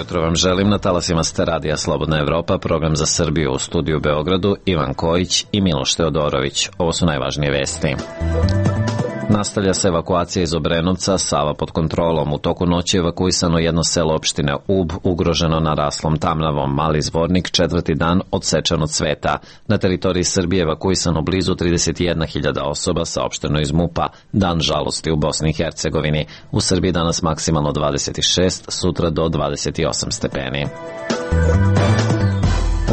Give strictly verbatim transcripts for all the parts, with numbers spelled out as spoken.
jutro vam želim na talasima ste radija Slobodna Evropa, program za Srbiju, u studiju u Beogradu Ivan Kojić i Miloš Teodorović. Ovo su najvažnije vesti. Nastavlja se evakuacija iz Obrenovca, Sava pod kontrolom. U toku noći evakuisano jedno selo opštine Ub, ugroženo naraslom tamnavom. Mali Zvornik, četvrti dan odsečan od sveta. Na teritoriji Srbije evakuisano blizu trideset jedna hiljada osoba, saopšteno iz MUP-a. Dan žalosti u Bosni i Hercegovini. U Srbiji danas maksimalno dvadeset šest, sutra do dvadeset osam stepeni.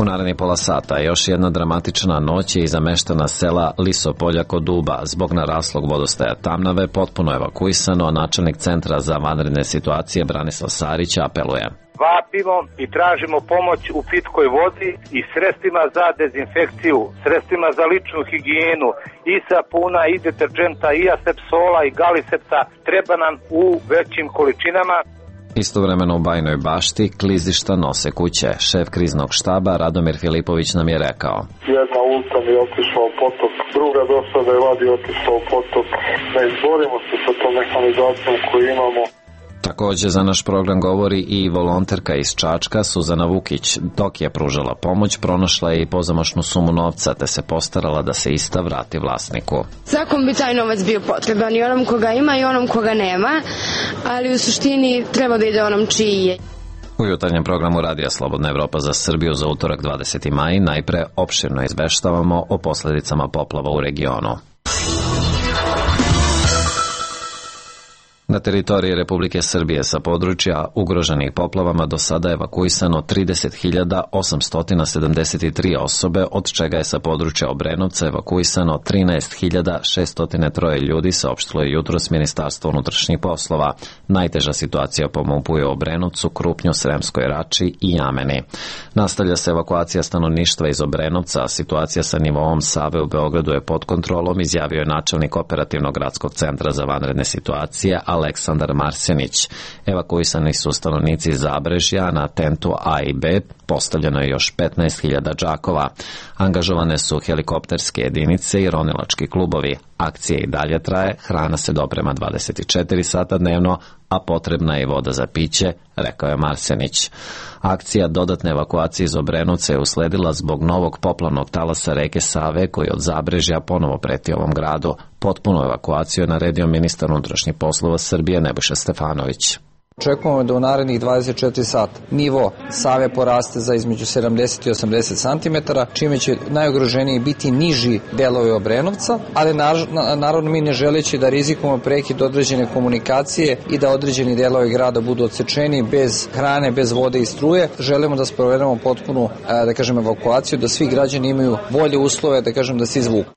U narednih pola sata još jedna dramatična noć je iza meštana sela Lisopolja kod Uba. Zbog naraslog vodostaja Tamnave potpuno evakuisano, načelnik Centra za vanredne situacije Branislav Sarić apeluje. Vapimo i tražimo pomoć u pitkoj vodi i sredstvima za dezinfekciju, sredstvima za ličnu higijenu, i sapuna, i deterđenta, i asepsola, i galisepta. Treba nam u većim količinama. Istovremeno u Bajnoj Bašti klizišta nose kuće. Šef kriznog štaba Radomir Filipović nam je rekao: Jedna ulica mi je otišla u potok, druga do sada je vadi otišla u potok. Ne izborimo se sa tom mehanizacijom koju imamo. Takođe za naš program govori i volonterka iz Čačka Suzana Vukić. Dok je pružala pomoć, pronašla je i pozamašnu sumu novca, te se postarala da se ista vrati vlasniku. Svakom bi taj novac bio potreban, i onom koga ima i onom koga nema, ali u suštini treba da ide onom čiji je. U jutarnjem programu Radija Slobodna Evropa za Srbiju za utorak dvadeseti maj najpre opširno izveštavamo o posledicama poplava u regionu. Na teritoriji Republike Srbije sa područja ugroženih poplavama do sada evakuisano trideset hiljada osamsto sedamdeset tri osobe, od čega je sa područja Obrenovca evakuisano trinaest hiljada šeststo tri ljudi, saopštilo je jutros Ministarstvo unutrašnjih poslova. Najteža situacija po MUP-u je u Obrenovcu, Krupnju, Sremskoj Rači i Jameni. Nastavlja se evakuacija stanovništva iz Obrenovca, a situacija sa nivoom Save u Beogradu je pod kontrolom, izjavio je načelnik Operativnog gradskog centra za vanredne situacije Aleksandar Marsenić. Evakuisani su stanovnici Zabrežja, na tentu A i B postavljeno je još petnaest hiljada džakova. Angažovane su helikopterske jedinice i ronilački klubovi. Akcija i dalje traje, hrana se doprema dvadeset četiri sata dnevno, a potrebna je i voda za piće, rekao je Marsenić. Akcija dodatne evakuacije iz Obrenovca je usledila zbog novog poplavnog talasa reke Save, koji od Zabrežja ponovo preti ovom gradu. Potpunu evakuaciju je naredio ministar unutrašnjih poslova Srbije Nebojša Stefanović. Očekujemo da u narednih dvadeset četiri sata nivo Save poraste za između sedamdeset i osamdeset santimetara, čime će najugroženiji biti niži delovi Obrenovca, ali naravno mi ne želeći da rizikujemo prekid određene komunikacije i da određeni delovi grada budu odsečeni bez hrane, bez vode i struje. Želimo da sprovedemo potpunu, da kažem, evakuaciju, da svi građani imaju bolje uslove, da kažem, da se izvuku.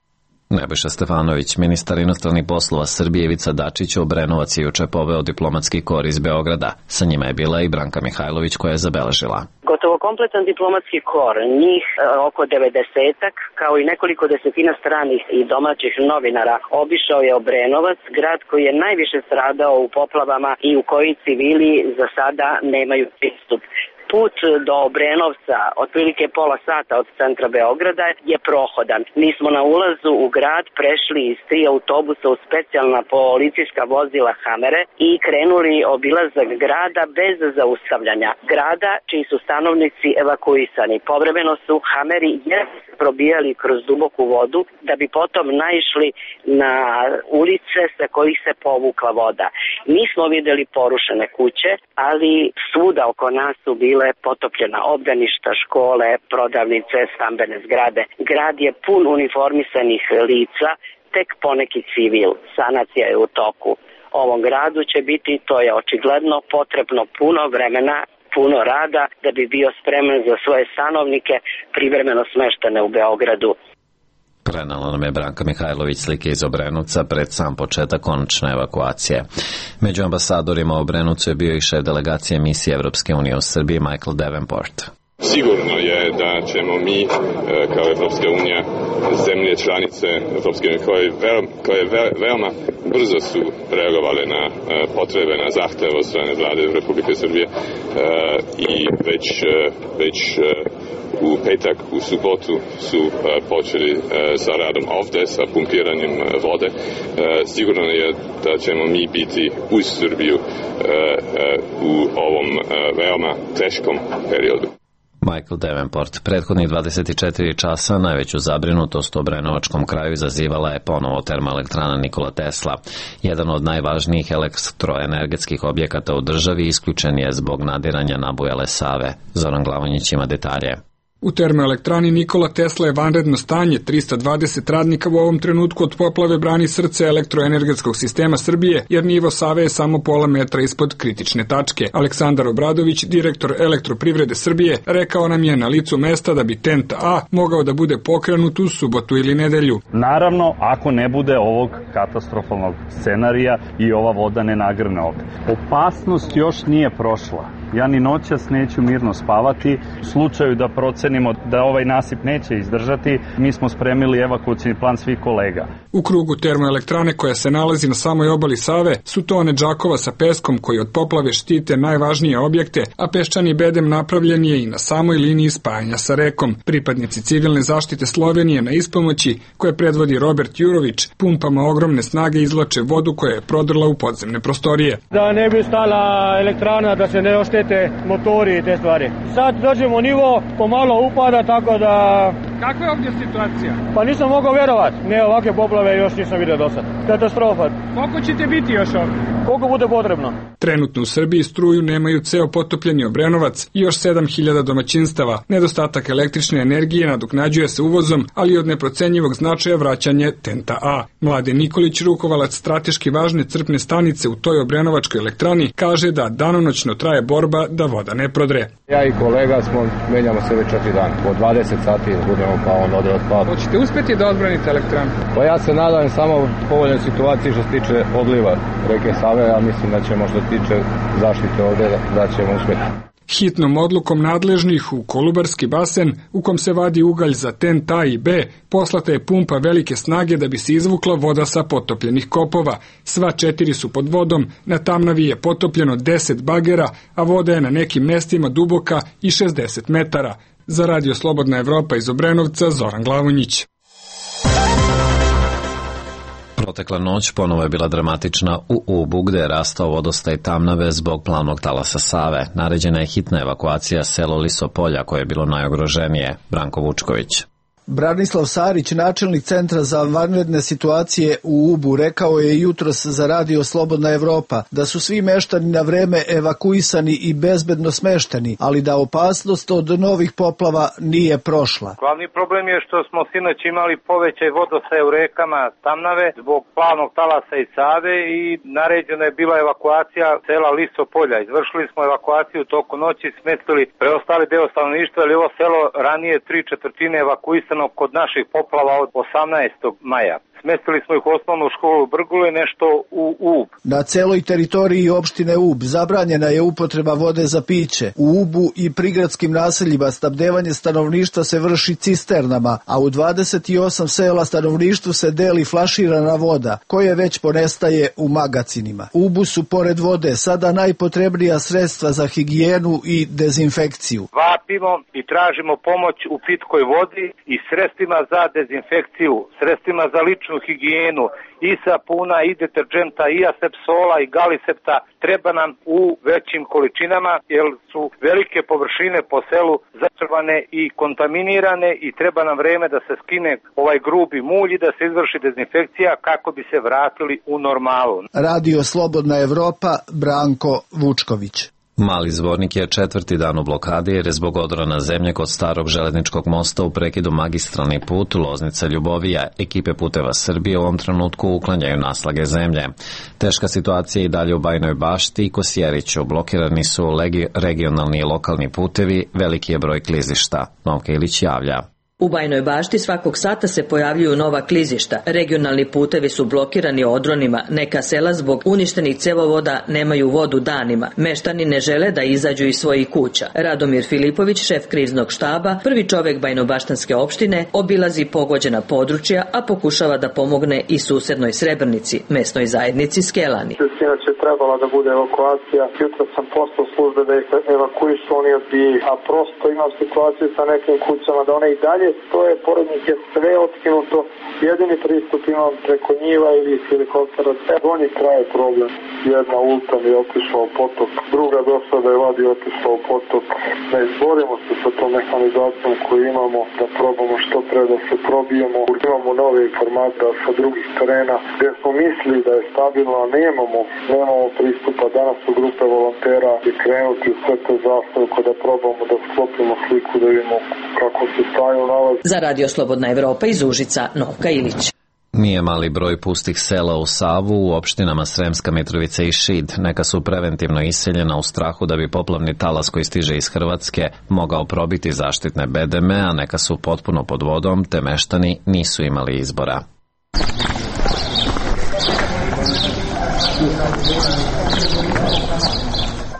Nebojša Stefanović, ministar inostranih poslova Srbije Ivica Dačić, u Obrenovac je juče poveo diplomatski kor iz Beograda. Sa njima je bila i Branka Mihajlović, koja je zabeležila. Gotovo kompletan diplomatski kor, njih oko devedesetak, kao i nekoliko desetina stranih i domaćih novinara, obišao je Obrenovac, grad koji je najviše stradao u poplavama i u koji civili za sada nemaju pristup. Put do Obrenovca, otprilike pola sata od centra Beograda, je prohodan. Mi smo na ulazu u grad prešli iz tri autobusa u specijalna policijska vozila Hamere i krenuli obilazak grada bez zaustavljanja. Grada čiji su stanovnici evakuisani. Povremeno su Hameri probijali kroz duboku vodu da bi potom naišli na ulice sa kojih se povukla voda. Nismo videli porušene kuće, ali svuda oko nas su bile potopljena obdaništa, škole, prodavnice, stambene zgrade. Grad je pun uniformisanih lica, tek poneki civil. Sanacija je u toku. Ovom gradu će biti, to je očigledno, potrebno puno vremena, puno rada da bi bio spreman za svoje stanovnike privremeno smeštene u Beogradu. Prenala nam je Branka Mihajlović slike iz Obrenovca pred sam početak konačne evakuacije. Među ambasadorima u Obrenovcu je bio i šef delegacije misije Evropske unije u Srbiji Michael Davenport. Sigurno je da ćemo mi kao Evropska unija, zemlje članice Evropske unije koje, ve, koje ve, veoma brzo su reagovale na potrebe, na zahteve od strane vlade Republike Srbije i već, već u petak, u subotu su počeli sa radom ovde, sa pumpiranjem vode. Sigurno je da ćemo mi biti uz Srbiju u ovom veoma teškom periodu. Michael Davenport. Prethodnih dvadeset četiri časa najveću zabrinutost u Obrenovačkom kraju izazivala je ponovo termoelektrana Nikola Tesla. Jedan od najvažnijih elektroenergetskih objekata u državi isključen je zbog nadiranja nabujale Save. Zoran Glavonjić ima detalje. U termoelektrani Nikola Tesla je vanredno stanje. trista dvadeset radnika u ovom trenutku od poplave brani srce elektroenergetskog sistema Srbije, jer nivo Save je samo pola metra ispod kritične tačke. Aleksandar Obradović, direktor Elektroprivrede Srbije, rekao nam je na licu mesta da bi T E N T A mogao da bude pokrenut u subotu ili nedelju. Naravno, ako ne bude ovog katastrofalnog scenarija i ova voda ne nagrne ovde. Opasnost još nije prošla. Ja ni noćas neću mirno spavati. U slučaju da procenimo da ovaj nasip neće izdržati, mi smo spremili evakuacioni plan svih kolega. U krugu termoelektrane koja se nalazi na samoj obali Save su tone džakova sa peskom koji od poplave štite najvažnije objekte, a peščani bedem napravljen je i na samoj liniji spajanja sa rekom. Pripadnici civilne zaštite Slovenije na ispomoći, koje predvodi Robert Jurović, pumpama ogromne snage izvlače vodu koja je prodrla u podzemne prostorije. Da ne bi stala elektrana, da se ne oštete motori i te stvari. Sad dođemo nivo, pomalo upada, tako da... Kakva je ovdje situacija? Pa nisam mogao vjerovati. Ne, ovakve poplave još nisam vidio do sad. Katastrofa. Koliko ćete biti još ovdje? Koliko bude potrebno. Trenutno u Srbiji struju nemaju ceo potopljeni Obrenovac i još sedam hiljada domaćinstava. Nedostatak električne energije nadoknađuje se uvozom, ali od neprocenjivog značaja vraćanje T E N T A. Mladen Nikolić, rukovalac strateški važne crpne stanice u toj Obrenovačkoj elektrani, kaže da danonoćno traje borba da voda ne prodre. Ja i kolega smo, menjamo se već četiri dana. Po dvadeset sati budemo pa on ode od pada. Hoćete uspjeti da odbranite elektranu? Pa ja se nadam samo u povoljnoj situaciji što se tiče odliva reke Save, ja mislim da ćemo što se tiče zaštite ovde da ćemo uspjeti. Hitnom odlukom nadležnih u Kolubarski basen, u kom se vadi ugalj za T E N T A i B, poslata je pumpa velike snage da bi se izvukla voda sa potopljenih kopova. Sva četiri su pod vodom, na Tamnavi je potopljeno deset bagera, a voda je na nekim mestima duboka i šezdeset metara. Za Radio Slobodna Evropa iz Obrenovca, Zoran Glavonjić. Protekla noć ponovo je bila dramatična u Ubu, gde je rastao vodostaj Tamnave zbog plavnog talasa Save. Naređena je hitna evakuacija selo Lisopolja, koje je bilo najugroženije. Branko Vučković. Branislav Sarić, načelnik Centra za vanredne situacije u Ubu, rekao je jutros za Radio Slobodna Evropa da su svi meštani na vreme evakuisani i bezbedno smešteni, ali da opasnost od novih poplava nije prošla. Glavni problem je što smo sinoć imali povećaj vodostaj u rekama Tamnave zbog plavnog talasa i Save i naređena je bila evakuacija sela Lisopolja. Izvršili smo evakuaciju toku noći, smestili preostali deo stanovništva, ali ovo selo ranije tri četvrtine evakuisano kod naših poplava od osamnaestog maja. Smestili smo ih u osnovnu školu Brgule, nešto u Ub. Na celoj teritoriji opštine Ub zabranjena je upotreba vode za piće. U Ubu i prigradskim naseljima snabdevanje stanovništva se vrši cisternama, a u dvadeset osam sela stanovništvu se deli flaširana voda, koje već ponestaje u magacinima. U Ubu su pored vode sada najpotrebnija sredstva za higijenu i dezinfekciju. Vapimo i tražimo pomoć u pitkoj vodi i sredstvima za dezinfekciju, sredstvima za ličnu higijenu, i sapuna, i deterđenta, i asepsola, i galisepta treba nam u većim količinama, jer su velike površine po selu zatrvane i kontaminirane i treba nam vreme da se skine ovaj grubi mulj i da se izvrši dezinfekcija kako bi se vratili u normalu. Radio Slobodna Evropa, Branko Vučković. Mali Zvornik je četvrti dan u blokadi jer je zbog odrana zemlje kod starog železničkog mosta u prekidu magistralni put Loznica-Ljubovija. Ekipe Puteva Srbije u ovom trenutku uklanjaju naslage zemlje. Teška situacija i dalje u Bajnoj Bašti i Kosjeriću. Blokirani su regionalni i lokalni putevi, veliki je broj klizišta. Novka Ilić javlja. U Bajnoj Bašti svakog sata se pojavljuju nova klizišta, regionalni putevi su blokirani odronima, neka sela zbog uništenih cevovoda nemaju vodu danima, meštani ne žele da izađu iz svojih kuća. Radomir Filipović, šef kriznog štaba, prvi čovek Bajnobaštanske opštine, obilazi pogođena područja, a pokušava da pomogne i susednoj Srebrnici, mesnoj zajednici Skelani. Sinoć je trebala da bude evakuacija, jutro sam poslao službe da ih evakuišu, oni odbijaju, a prosto imam situaciju sa nekim kućama da one i dalje stoje, pored njih je sve otkinuto, jedini pristup imam preko njiva ili helikoptera, on je traje problem. Jedna ulta mi je otišla u potok, druga došla da je vadi otišla u potok. Ne izborimo se sa tom mehanizacijom koju imamo, da probamo što pre da se probijemo. Imamo nove informacije sa drugih terena gdje smo mislili da je stabilno, a nemamo, nemamo pristupa. Danas su grupe volontera i krenuti u sve te zastavke da probamo da sklopimo sliku, da vidimo kako se staju nalazi. Za Radio Slobodna Evropa iz Užica, Novka Ilić. Nije mali broj pustih sela u Savu u opštinama Sremska Mitrovica i Šid. Neka su preventivno iseljena u strahu da bi poplavni talas koji stiže iz Hrvatske mogao probiti zaštitne bedeme, a neka su potpuno pod vodom, te meštani nisu imali izbora.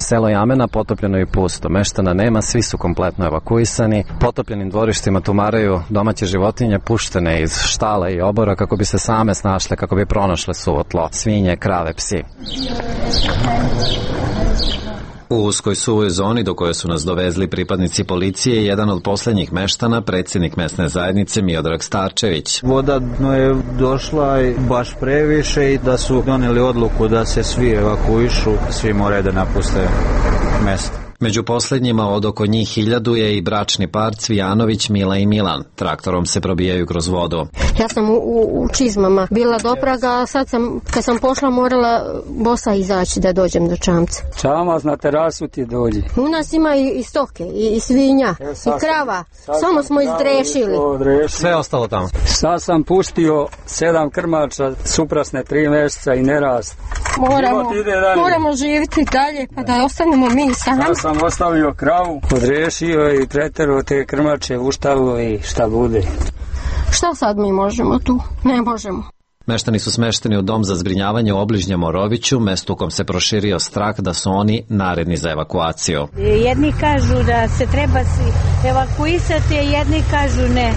Selo Jamena potopljeno i pusto, meštana nema, svi su kompletno evakuisani. Potopljenim dvorištima tumaraju domaće životinje puštene iz štala i obora kako bi se same snašle, kako bi pronašle suvo tlo, svinje, krave, psi. U uskoj suvoj zoni do koje su nas dovezli pripadnici policije, jedan od poslednjih meštana, predsjednik mesne zajednice Miodrag Starčević. Voda je došla baš previše i da su doneli odluku da se svi evakuišu, svi moraju da napuste mesto. Među posljednjima od oko njih hiljadu je i bračni par Cvijanović, Mila i Milan. Traktorom se probijaju kroz vodu. Ja sam u, u, u čizmama bila do praga, a sad sam, kad sam pošla, morala bosa izaći da dođem do čamca. Čamac na terasu ti dođi. U nas ima i, i stoke, i, i svinja, e, i krava. Samo smo izdrešili. Sve ostalo tamo. Sad sam pustio sedam krmača, suprasne tri mjeseca i nerast. Moramo, moramo živjeti dalje, pa da ostanemo mi sami. Ja sam ostavio kravu, odrešio i preterao te krmače u štalu i šta bude. Šta sad mi možemo tu? Ne možemo. Meštani su smešteni u dom za zbrinjavanje u obližnjem Moroviću, mestu u kom se proširio strah da su oni naredni za evakuaciju. Jedni kažu da se treba evakuisati, jedni kažu ne.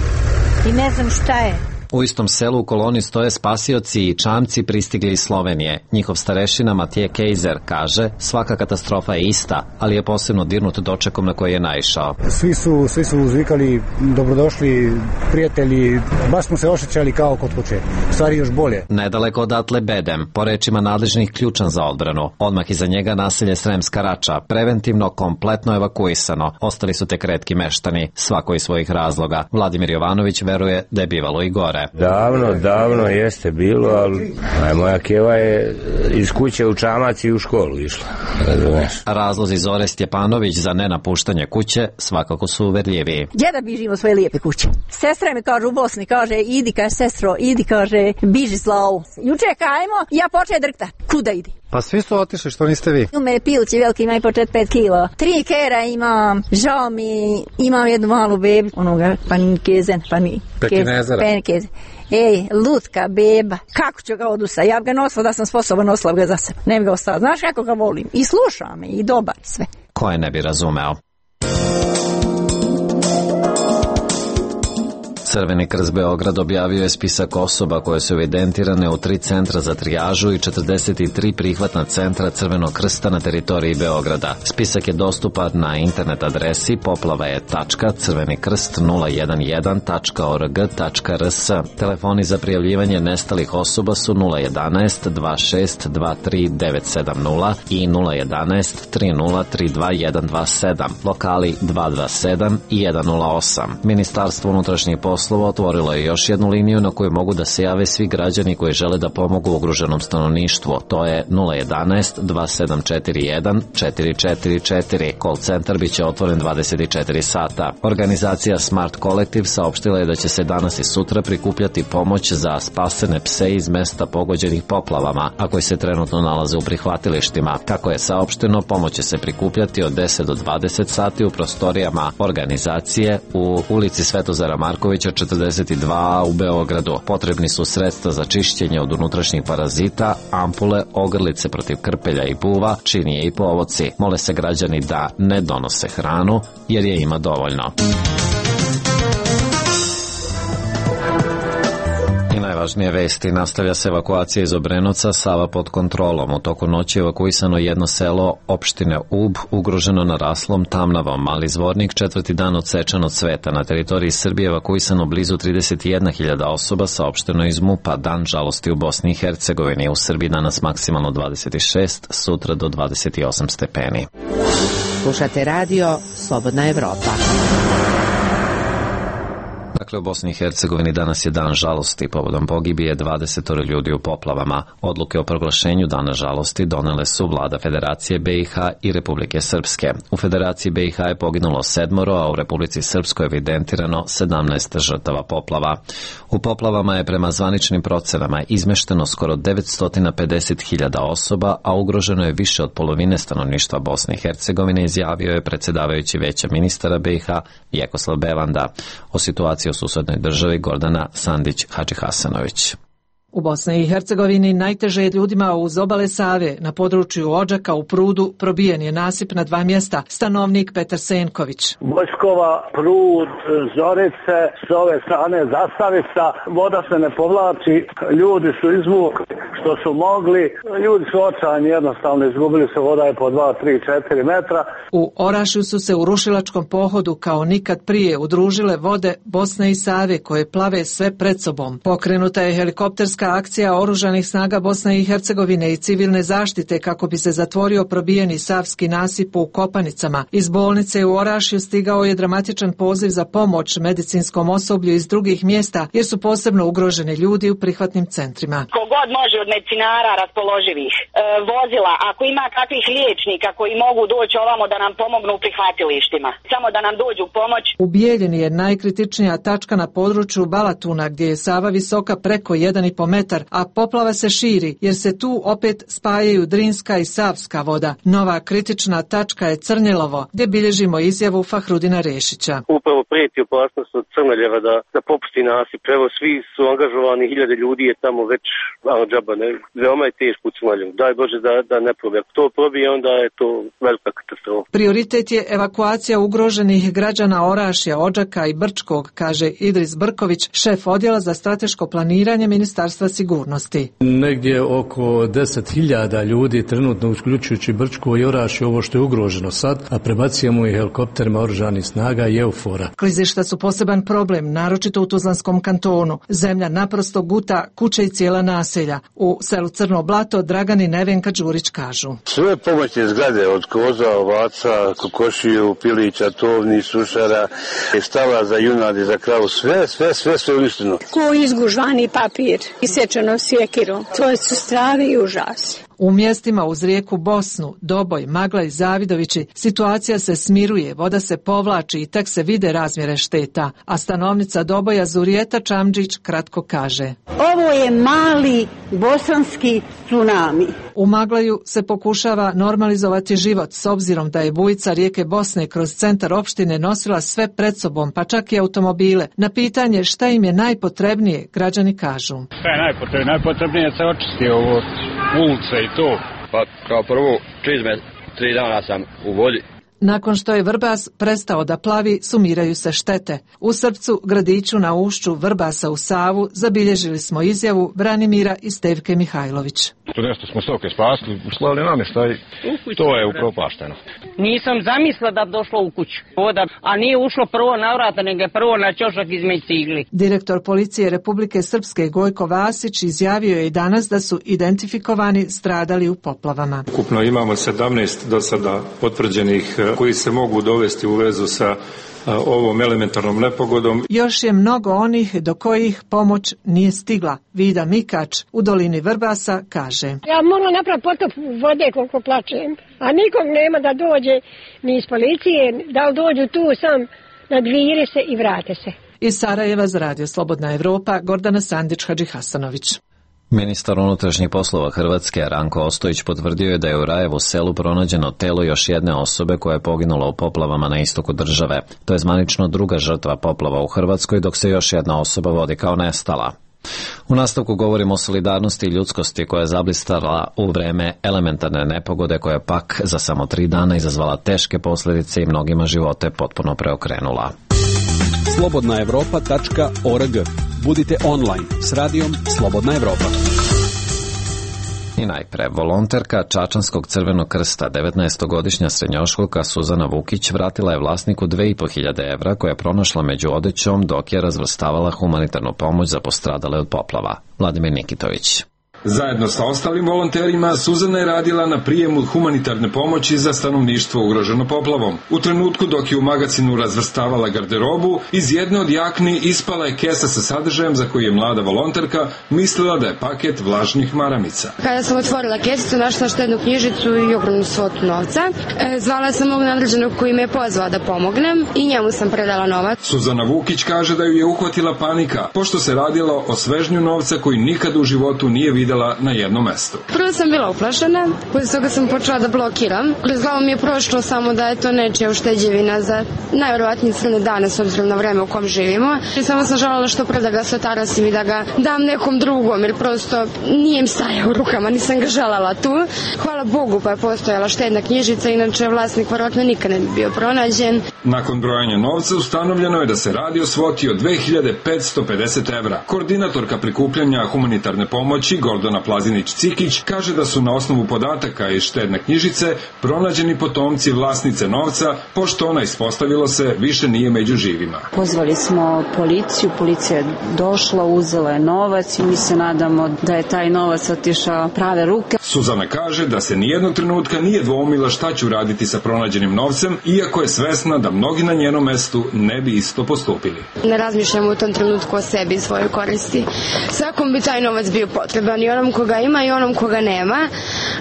I ne znam šta je. U istom selu u koloni stoje spasioci i čamci pristigli iz Slovenije. Njihov starešina Matije Kejzer kaže, svaka katastrofa je ista, ali je posebno dirnut dočekom na koji je naišao. Svi su, svi su uzvikali, dobrodošli, prijatelji, baš smo se osjećali kao kod kuće, stvari još bolje. Nedaleko odatle Bedem, po rečima nadležnih ključan za odbranu. Odmah iza njega naselje Sremska Rača, preventivno kompletno evakuisano. Ostali su tek retki meštani, svako iz svojih razloga. Vladimir Jovanović veruje da je bivalo i gore. Davno, davno jeste bilo, ali moja keva je iz kuće u čamac i u školu išla. Razumeš? Razlozi Zore Stjepanović za nenapuštanje kuće svakako su uverljiviji. Gdje da bižimo svoje lijepe kuće? Sestra mi kaže u Bosni, kaže, idi, kaže, sestro, idi, kaže, biži slavu. Juče kajmo, ja počeo drkta. Kuda idi? Pa svi su otišli, što niste vi? U me pilci veliki, imaju po četiri pet kilo. Tri kera imam, žao mi, imam jednu malu bebu, onoga, panikezen, panikezen. Panikezen. Ej, lutka, beba, kako ću ga odusa? Ja bi ga nosila da sam sposoban, nosila ga za sebe. Ne bi ga ostala. Znaš kako ga volim? I sluša me, i dobar, sve. Ko je ne bi razumeo? Crveni krst Beograd objavio je spisak osoba koje su evidentirane u tri centra za trijažu i četrdeset tri prihvatna centra Crvenog krsta na teritoriji Beograda. Spisak je dostupan na internet adresi poplavaje tačka crveni krst nula jedan jedan tačka org tačka rs. Telefoni za prijavljivanje nestalih osoba su nula jedanaest dva šest dva tri devet sedam nula i nula jedanaest tri nula tri dva jedan dva sedam. Lokali dva dva sedam i jedan nula osam. Ministarstvo unutrašnjih poslova poslova otvorilo je još jednu liniju na koju mogu da se jave svi građani koji žele da pomogu ugroženom stanovništvu. To je nula jedanaest dva sedam četiri jedan četiri četiri četiri. Call centar biće otvoren dvadeset četiri sata. Organizacija Smart Collective saopštila je da će se danas i sutra prikupljati pomoć za spasene pse iz mesta pogođenih poplavama, a koji se trenutno nalaze u prihvatilištima. Kako je saopšteno, pomoć će se prikupljati od deset do dvadeset sati u prostorijama organizacije u ulici Svetozara Markovića četrdeset dva u Beogradu. Potrebni su sredstva za čišćenje od unutrašnjih parazita, ampule, ogrlice protiv krpelja i buva, činije i povoci. Mole se građani da ne donose hranu jer je ima dovoljno. Najvažnije vesti, nastavlja se evakuacija iz Obrenovca, Sava pod kontrolom. U toku noći evakuisano jedno selo opštine Ub, ugroženo naraslom Tamnavom. Mali Zvornik, četvrti dan odsečan od sveta. Na teritoriji Srbije evakuisano blizu trideset jedna hiljada osoba, saopšteno iz MUP-a. Dan žalosti u Bosni i Hercegovini. U Srbiji danas maksimalno dvadeset šest, sutra do dvadeset osam stepeni. Slušate radio Slobodna Evropa. Dakle, u Bosni i Hercegovini danas je dan žalosti. Povodom pogibije dvadeset ljudi u poplavama. Odluke o proglašenju dana žalosti donele su vlada Federacije B i H i Republike Srpske. U Federaciji B i H je poginulo sedmoro, a u Republici Srpskoj evidentirano sedamnaest žrtava poplava. U poplavama je prema zvaničnim procenama izmešteno skoro devetsto pedeset hiljada osoba, a ugroženo je više od polovine stanovništva Bosne i Hercegovine, izjavio je predsjedavajući Veća ministara B i H Vjekoslav Bevanda. O situaciji u susednoj državi Gordana Sandić-Hadžihasanović. U Bosni i Hercegovini najteže je ljudima uz obale Save. Na području Odžaka u Prudu probijen je nasip na dva mjesta. Stanovnik Petar Senković. Bojskova, Prud, Zorice, s ove strane Zastavica, voda se ne povlači, ljudi su izvukli što su mogli, ljudi su očajni, jednostavno izgubili se, voda je po dva, tri, četiri metra. U Orašju su se u rušilačkom pohodu kao nikad prije udružile vode Bosne i Save koje plave sve pred sobom. Pokrenuta je helikopterska akcija oružanih snaga Bosne i Hercegovine i civilne zaštite kako bi se zatvorio probijeni savski nasip u Kopanicama. Iz bolnice u Orašju stigao je dramatičan poziv za pomoć medicinskom osoblju iz drugih mjesta jer su posebno ugroženi ljudi u prihvatnim centrima. Kogod može od medicinara raspoloživih e, vozila, ako ima kakvih liječnika koji mogu doći ovamo da nam pomognu u prihvatilištima, samo da nam dođu pomoć. U Bijeljini je najkritičnija tačka na području Balatuna gdje je Sava visoka preko jedan i po metar, a poplava se širi jer se tu opet spajaju Drinska i Savska voda. Nova kritična tačka je Crnjelovo, gdje bilježimo izjavu Fahrudina Rešića. Upravo prijeti opasnost od Crneljeva da, da popusti nasip. Evo, svi su angažovani, hiljade ljudi je tamo već, ano džaba, ne, veoma je teško u Crneljevu. Daj Bože da, da ne probije. Ako to probije, onda je to velika katastrofa. Prioritet je evakuacija ugroženih građana Orašja, Odžaka i Brčkog, kaže Idris Brković, šef odjela za strateško planiranje Ministarstva sigurnosti. Negdje oko deset hiljada ljudi trenutno uključujući Brčko i Orašje, ovo što je ugroženo sad, a prebacujemo i helikopterima oružanih snaga i Eufora. Klizišta su poseban problem, naročito u Tuzlanskom kantonu. Zemlja naprosto guta kuće i cijela naselja. U selu Crno Blato Dragan i Nevenka Đurić kažu. Sve pomoćne zgrade od koza, ovaca, kokošiju, pilića, tovni, sušara, stala za junadi, za kravu, sve, sve, sve, sve uništeno. Ko izgužvani papir, isječeno sjekirom, to su stravi i užasi. U mjestima uz rijeku Bosnu, Doboj, Magla i Zavidovići situacija se smiruje, voda se povlači i tek se vide razmjere šteta, a stanovnica Doboja Zurijeta Čamđić kratko kaže. Ovo je mali bosanski tsunami. U Maglaju se pokušava normalizovati život s obzirom da je bujica rijeke Bosne kroz centar opštine nosila sve pred sobom, pa čak i automobile. Na pitanje šta im je najpotrebnije, građani kažu. Šta je najpotrebnije? Najpotrebnije je se očisti ovo ulice i to. Pa kao prvo, čizme, tri dana sam u vodi. Nakon što je Vrbas prestao da plavi, sumiraju se štete. U Srpcu, gradiću na ušću Vrbasa u Savu, zabilježili smo izjavu Branimira i Stevke Mihajlović. To nešto smo stoke spasli, uslali namještaj, to je upropašteno. Nisam zamislila da bi došlo u kuću voda, a nije ušlo prvo na vrata, nego je prvo na ćošak između cigli. Direktor policije Republike Srpske Gojko Vasić izjavio je i danas da su identifikovani stradali u poplavama. Ukupno imamo sedamnaest do sada potvrđenih koji se mogu dovesti u vezu sa ovom elementarnom nepogodom. Još je mnogo onih do kojih pomoć nije stigla. Vida Mikač u dolini Vrbasa kaže: Ja moram napraviti potop vode koliko plačem, a nikog nema da dođe ni iz policije, da li dođu tu sam, nadvire se i vrate se. Iz Sarajeva za Radio Slobodna Evropa, Gordana Sandić, Hadži Hasanović. Ministar unutrašnjih poslova Hrvatske Ranko Ostojić potvrdio je da je u Rajevu selu pronađeno telo još jedne osobe koja je poginula u poplavama na istoku države. To je zvanično druga žrtva poplava u Hrvatskoj, dok se još jedna osoba vodi kao nestala. U nastavku govorimo o solidarnosti i ljudskosti koja je zablistala u vreme elementarne nepogode koja je pak za samo tri dana izazvala teške posljedice i mnogima živote potpuno preokrenula. slobodna evropa tačka org. Budite online s radijom Slobodna Evropa. I najpre, volonterka Čačanskog Crvenog krsta, devetnaestogodišnja srednjoškolka Suzana Vukić vratila je vlasniku dve i po hiljade evra koje je pronašla među odećom dok je razvrstavala humanitarnu pomoć za postradale od poplava. Vladimir Nikitović. Zajedno sa ostalim volonterima, Suzana je radila na prijemu humanitarne pomoći za stanovništvo ugroženo poplavom. U trenutku dok je u magazinu razvrstavala garderobu, iz jedne od jakni ispala je kesa sa sadržajem za koji je mlada volonterka mislila da je paket vlažnih maramica. Kada sam otvorila kesicu, našla štednu knjižicu i ogromnu svotu novca. E, zvala sam mog nadređenog koji me je pozvao da pomognem i njemu sam predala novac. Suzana Vukić kaže da ju je uhvatila panika, pošto se radilo o svežnju novca koji nikad u životu nije videla na jednom mestu. Prvo sam bila uplašena, posle toga sam počela da blokiram. Kroz glavu mi je prošlo samo da je to nečija ušteđevina za najverovatnije crne dane s obzirom na vreme u kom živimo. I samo sam želela što pre da ga satarasim i da ga dam nekom drugom, jer prosto nije im stajao u rukama, nisam ga želela tu. Hvala Bogu pa je postojala štedna knjižica, inače vlasnik verovatno nikad ne bi bio pronađen. Nakon brojanja novca ustanovljeno je da se radi o svoti od dve hiljade petsto pedeset evra. Koordinatorka prikupljanja humanitarne pomoći Gordana Plazinić-Cikić kaže da su na osnovu podataka iz štedne knjižice pronađeni potomci vlasnice novca, pošto ona, ispostavilo se, više nije među živima. Pozvali smo policiju, policija je došla, uzela je novac i mi se nadamo da je taj novac otišao prave ruke. Suzana kaže da se nijednog trenutka nije dvoumila šta će uraditi sa pronađenim novcem, iako je svesna da mnogi na njenom mestu ne bi isto postupili. Ne razmišljamo u tom trenutku o sebi i svojoj koristi. Svakom bi taj novac bio potreban, i onom koga ima i onom koga nema,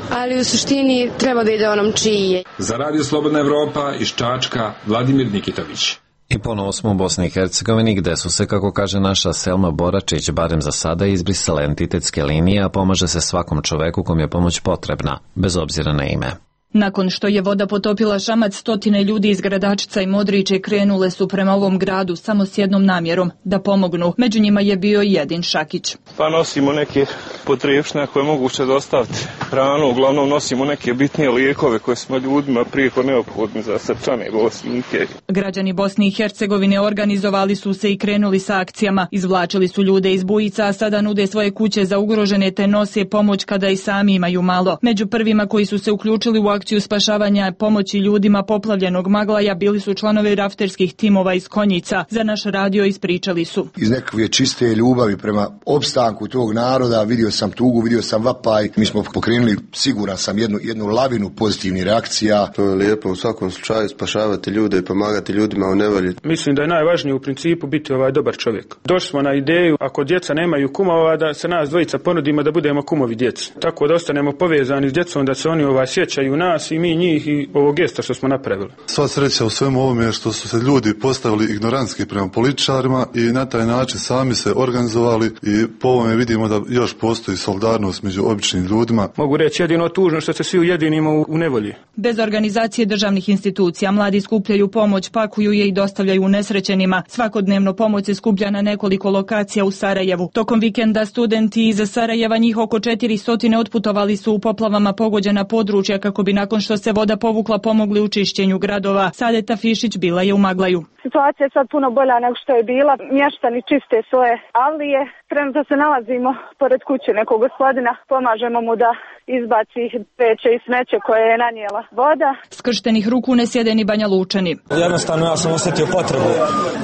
ali u suštini treba da ide onom čiji je. Za Radio Slobodna Evropa iz Čačka, Vladimir Nikitović. I ponovo smo u Bosni i Hercegovini, gde su se, kako kaže naša Selma Boračić, barem za sada izbrisale entitetske linije, a pomaže se svakom čoveku kom je pomoć potrebna, bez obzira na ime. Nakon što je voda potopila Šamac, stotine ljudi iz Gradačca i Modriće krenule su prema ovom gradu samo s jednom namjerom, da pomognu. Među njima je bio i Edin Šakić. Pa nosimo neke potrepštine koje je moguće dostaviti hranu, uglavnom nosimo neke bitnije lijekove koje smo ljudima prijeko neophodni za srčane bolesnike. Građani Bosne i Hercegovine organizovali su se i krenuli sa akcijama. Izvlačili su ljude iz bujica, a sada nude svoje kuće za ugrožene te nose pomoć kada i sami imaju malo. Među prvima koji su se uključili u akciju spašavanja pomoći ljudima poplavljenog Maglaja bili su članovi rafterskih timova iz Konjica. Za naš radio ispričali su. Iz nekakve čiste ljubavi prema opstanku tog naroda vidio sam tugu, vidio sam vapaj. Mi smo pokrenuli, siguran sam, jednu, jednu lavinu pozitivnih reakcija. To je lijepo u svakom slučaju spašavati ljude i pomagati ljudima u nevolji. Mislim da je najvažnije u principu biti ovaj dobar čovjek. Došli smo na ideju, ako djeca nemaju kumova, da se nas dvojica ponudimo da budemo kumovi djeci. Tako da ostanemo povezani s djecom, da se oni ovaj sjećaju nas i mi njih i ovog gesta što smo napravili. Sva sreća u svemu ovome je što su se ljudi postavili ignorantski prema političarima i na taj način sami se organizovali i po ovome vidimo da još postoji solidarnost među običnim ljudima. Mogu reći jedino tužno što se svi ujedinimo u, u nevolji. Bez organizacije državnih institucija mladi skupljaju pomoć, pakuju je i dostavljaju nesrećenima. Svakodnevno pomoć se skuplja na nekoliko lokacija u Sarajevu. Tokom vikenda studenti iz Sarajeva, njih oko četiristo, otputovali su u poplavama pogođena područja kako bi nakon što se voda povukla pomogli u čišćenju gradova. Sadeta Fišić bila je u Maglaju. Situacija je sad puno bolja nego što je bila. Mještani čiste svoje avlije. Trenutno se nalazimo pored kuće nekog gospodina. Pomažemo mu da izbaci vreće i smeće koje je nanijela voda. Skrštenih ruku ne sjede ni Banja Lučani. Jednostavno ja sam osjetio potrebu.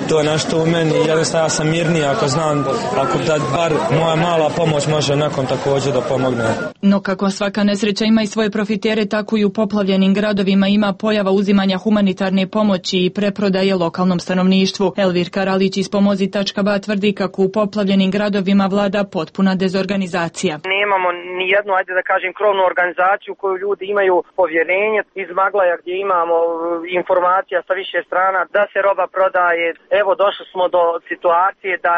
To je nešto u meni. Jednostavno ja sam mirniji ako znam, ako da bar moja mala pomoć može nakon također da pomogne. No kako svaka nesreća ima i svoje profitere, tako i u poplavljenim gradovima ima pojava uzimanja humanitarne pomoći i preprodaje lokalnom stanovništvu. Elvir Karalić iz pomozi tačka ba tvrdi kako u poplavljenim gradovima vlada potpuna dezorganizacija. Nemamo ni jednu, ajde da kažem, krovnu organizaciju koju ljudi imaju povjerenje. Iz Maglaja gdje imamo informacija sa više strana da se roba prodaje. Evo došli smo do situacije da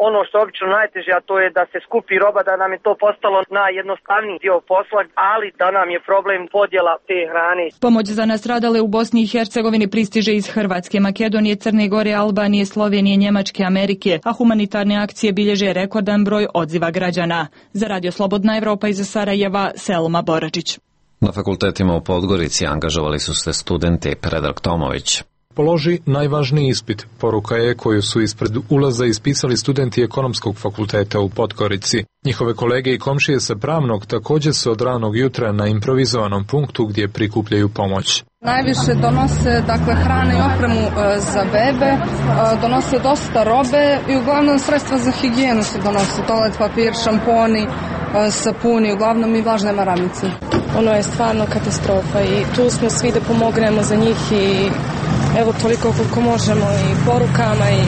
ono što je obično najteže, a to je da se skupi roba, da nam je to postalo najjednostavniji dio posla, ali da nam je problem podjela te hrane. Pomoć za nastradale u Bosni i Hercegovini pristiže iz Hrvatske, Makedonije, Crne Gore, Albanije, Slovenije, Njemačke, Amerike, a humanitarne akcije bilježe rekordan broj odziva građana. Za Radio Slobodna Evropa iz Sarajeva, Selma Boračić. Na fakultetima u Podgorici angažovali su se studenti. Predrag Tomović. Položi najvažniji ispit. Poruka je koju su ispred ulaza ispisali studenti Ekonomskog fakulteta u Podgorici. Njihove kolege i komšije sa Pravnog također su od ranog jutra na improvizovanom punktu gdje prikupljaju pomoć. Najviše donose dakle hrane i opremu e, za bebe, e, donose dosta robe i uglavnom sredstva za higijenu se donose, toalet papir, šamponi, e, sapuni, uglavnom i vlažne maramice. Ono je stvarno katastrofa i tu smo svi da pomognemo za njih i evo toliko koliko možemo i porukama i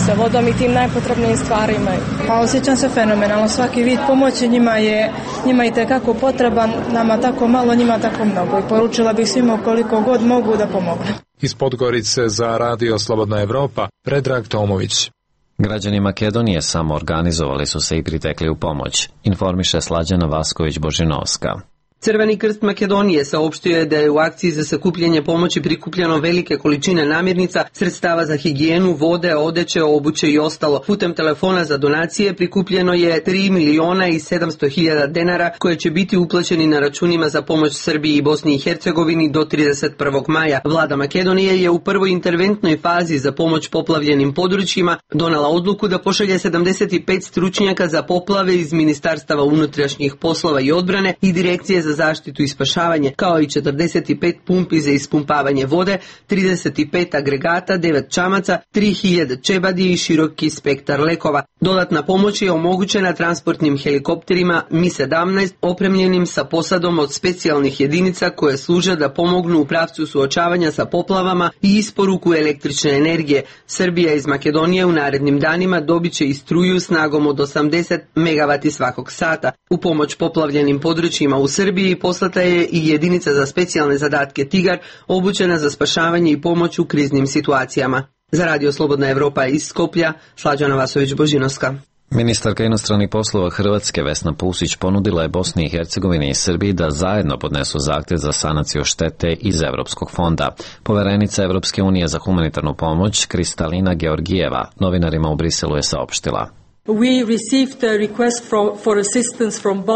sa vodom i tim najpotrebnijim stvarima. Pa osjećam se fenomenalno, svaki vid pomoći njima je njima i tekako potreban, nama tako malo, njima tako mnogo i poručila bih svima koliko god mogu da pomognu. Iz Podgorice za Radio Slobodna Evropa, Predrag Tomović. Građani Makedonije samo organizovali su se i pritekli u pomoć, informiše Slađana Vasković-Božinovska. Crveni krst Makedonije saopštio je da je u akciji za sakupljanje pomoći prikupljeno velike količine namirnica, sredstava za higijenu, vode, odeće, obuće i ostalo. Putem telefona za donacije prikupljeno je tri miliona i sedamsto hiljada denara koje će biti uplaćeni na računima za pomoć Srbiji i Bosni i Hercegovini do trideset prvog maja. Vlada Makedonije je u prvoj interventnoj fazi za pomoć poplavljenim područjima donala odluku da pošalje sedamdeset pet stručnjaka za poplave iz Ministarstava unutrašnjih poslova i odbrane i Direkcije za zaštitu i spašavanje, kao i četrdeset pet pumpi za ispumpavanje vode, trideset pet agregata, devet čamaca, tri hiljade čebadi i široki spektar lekova. Dodatna pomoć je omogućena transportnim helikopterima Mi sedamnaest opremljenim sa posadom od specijalnih jedinica koje služe da pomognu u pravcu suočavanja sa poplavama i isporuku električne energije. Srbija iz Makedonije u narednim danima dobit će i struju snagom od osamdeset megavati svakog sata. U pomoć poplavljenim područjima u Srbiji poslata je i jedinica za specijalne zadatke Tigar, obučena za spašavanje i pomoć u kriznim situacijama. Za Radio Slobodna Evropa iz Skoplja, Slađana Vasović-Božinovska. Ministarka inostranih poslova Hrvatske Vesna Pusić ponudila je Bosni i Hercegovini i Srbiji da zajedno podnesu zahtjev za sanaciju štete iz Evropskog fonda. Poverenica Evropske unije za humanitarnu pomoć Kristalina Georgijeva novinarima u Briselu je saopštila.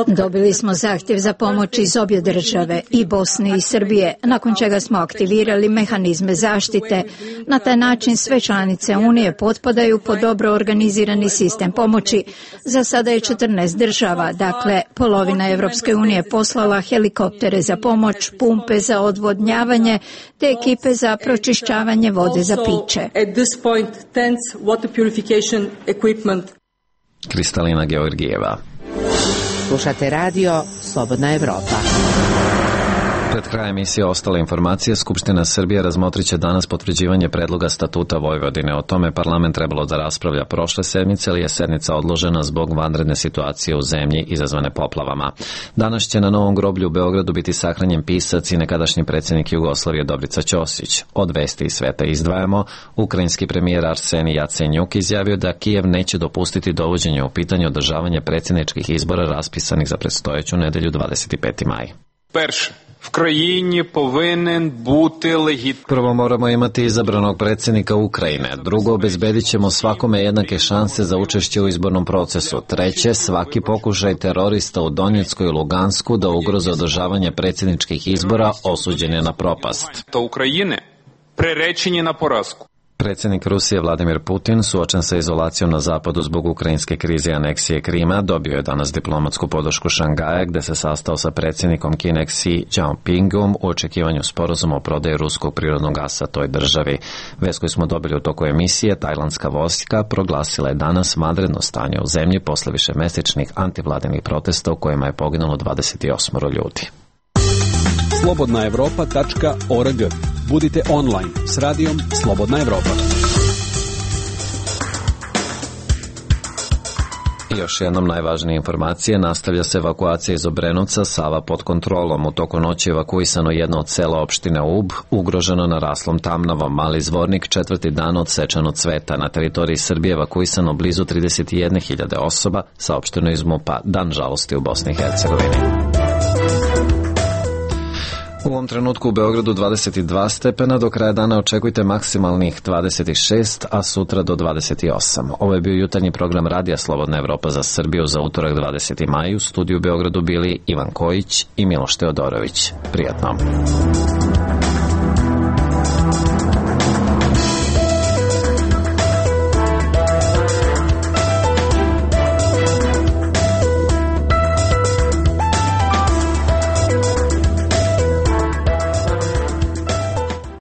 Dobili smo zahtjev za pomoć iz obje države, i Bosne i Srbije, nakon čega smo aktivirali mehanizme zaštite. Na taj način sve članice Unije potpadaju pod dobro organizirani sistem pomoći. Za sada je četrnaest država, dakle polovina Evropske unije poslala helikoptere za pomoć, pumpe za odvodnjavanje te ekipe za pročišćavanje vode za piće. Kristalina Georgijeva. Slušate radio Slobodna Evropa. Pred krajem emisije ostale informacije, Skupština Srbije razmotrit će danas potvrđivanje predloga statuta Vojvodine. O tome parlament trebalo da raspravlja prošle sedmice, ali je sednica odložena zbog vanredne situacije u zemlji izazvane poplavama. Danas će na Novom groblju u Beogradu biti sahranjen pisac i nekadašnji predsjednik Jugoslavije Dobrica Ćosić. Od vesti iz sveta izdvajamo, ukrajinski premijer Arsenij Jacenjuk izjavio da Kijev neće dopustiti dovođenje u pitanje održavanje predsjedničkih izbora raspisanih za predstojeću nedelju dvadeset peti maj. Perše. В країні повинен бути легітимний. Prvo moramo imati izabranog predsjednika Ukrajine. Drugo, obezbedit ćemo svakome jednake šanse za učešće u izbornom procesu. Treće, svaki pokušaj terorista u Donjecku i Lugansku da ugroze održavanje predsjedničkih izbora osuđen je na propast. Та України приречені на поразку. Predsjednik Rusije Vladimir Putin, suočen sa izolacijom na zapadu zbog ukrajinske krize i aneksije Krima, dobio je danas diplomatsku podršku Šangaja, gde se sastao sa predsjednikom Kine Xi Jinpingom u očekivanju sporazuma o prodaji ruskog prirodnog gasa toj državi. Vest koju smo dobili u toku emisije, tajlandska vojska proglasila je danas vanredno stanje u zemlji posle višemesečnih antivladinih protesta u kojima je poginulo dvadeset osam ljudi. slobodna evropa tačka org. Budite online s radijom Slobodna Evropa. I još jednom najvažnije informacije, nastavlja se evakuacija iz Obrenovca, Sava pod kontrolom. U toku noći evakuisano jedno od sela opštine Ub, ugroženo naraslom tamnavom. Mali Zvornik četvrti dan odsečan od cveta. Na teritoriji Srbije evakuisano blizu trideset jedne hiljade osoba, saopšteno iz MUP-a. Dan žalosti u Bosni i Hercegovini. U ovom trenutku u Beogradu dvadeset dva stepena, do kraja dana očekujte maksimalnih dvadeset šest, a sutra do dvadeset osam. Ovo je bio jutarnji program Radija Slobodna Evropa za Srbiju za utorak dvadeseti maj. U studiju u Beogradu bili Ivan Kojić i Miloš Teodorović. Prijatno.